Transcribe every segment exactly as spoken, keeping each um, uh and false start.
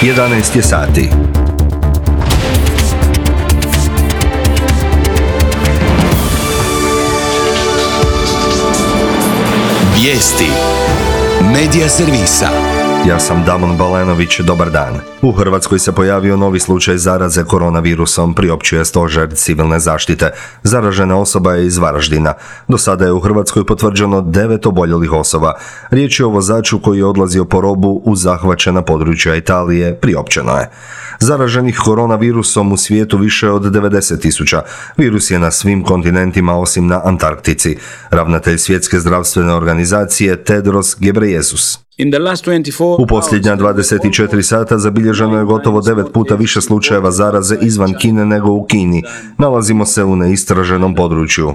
jedanaest je sati. Vijesti Medija servisa. Ja sam Damon Balenović, dobar dan. U Hrvatskoj se pojavio novi slučaj zaraze koronavirusom, priopćuje Stožer civilne zaštite. Zaražena osoba je iz Varaždina. Do sada je u Hrvatskoj potvrđeno devet oboljelih osoba. Riječ je o vozaču koji je odlazio po robu u zahvaćena područja Italije, priopćeno je. Zaraženih koronavirusom u svijetu više od devedeset tisuća. Virus je na svim kontinentima osim na Antarktici. Ravnatelj Svjetske zdravstvene organizacije Tedros Ghebreyesus. U posljednja dvadeset četiri sata zabilježeno je gotovo devet puta više slučajeva zaraze izvan Kine nego u Kini. Nalazimo se u neistraženom području.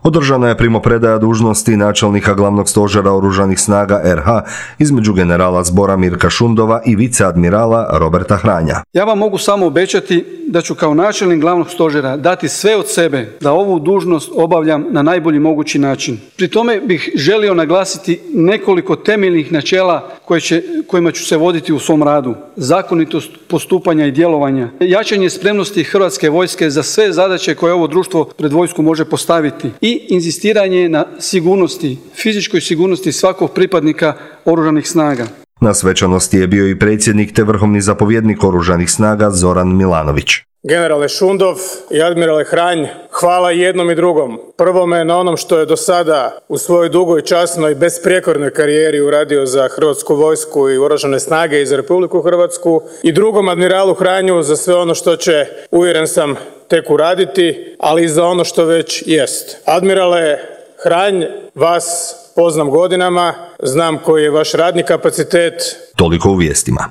Održana je primopredaja dužnosti načelnika glavnog stožera oružanih snaga er ha između generala zbora Mirka Šundova i viceadmirala Roberta Hranja. Ja vam mogu samo obećati da ću kao načelnik glavnog stožera dati sve od sebe da ovu dužnost obavljam na najbolji mogući način. Pri tome bih želio naglasiti nekoliko temeljnih načela koje će, kojima ću se voditi u svom radu. Zakonitost postupanja i djelovanja, jačanje spremnosti Hrvatske vojske za sve zadaće koje ovo društvo pred vojsku može postaviti i inzistiranje na sigurnosti, fizičkoj sigurnosti svakog pripadnika oružanih snaga. Na svečanosti je bio i predsjednik te vrhovni zapovjednik oružanih snaga Zoran Milanović. Generale Šundov i admirale Hranj, hvala jednom i drugom. Prvome na onom što je do sada u svojoj dugoj, časnoj i besprijekornoj karijeri uradio za Hrvatsku vojsku i oružane snage i za Republiku Hrvatsku. I drugom admiralu Hranju za sve ono što će, uvjeren sam, tek uraditi, ali i za ono što već jest. Admirale Hranj, vas poznam godinama, znam koji je vaš radni kapacitet. Toliko u vijestima.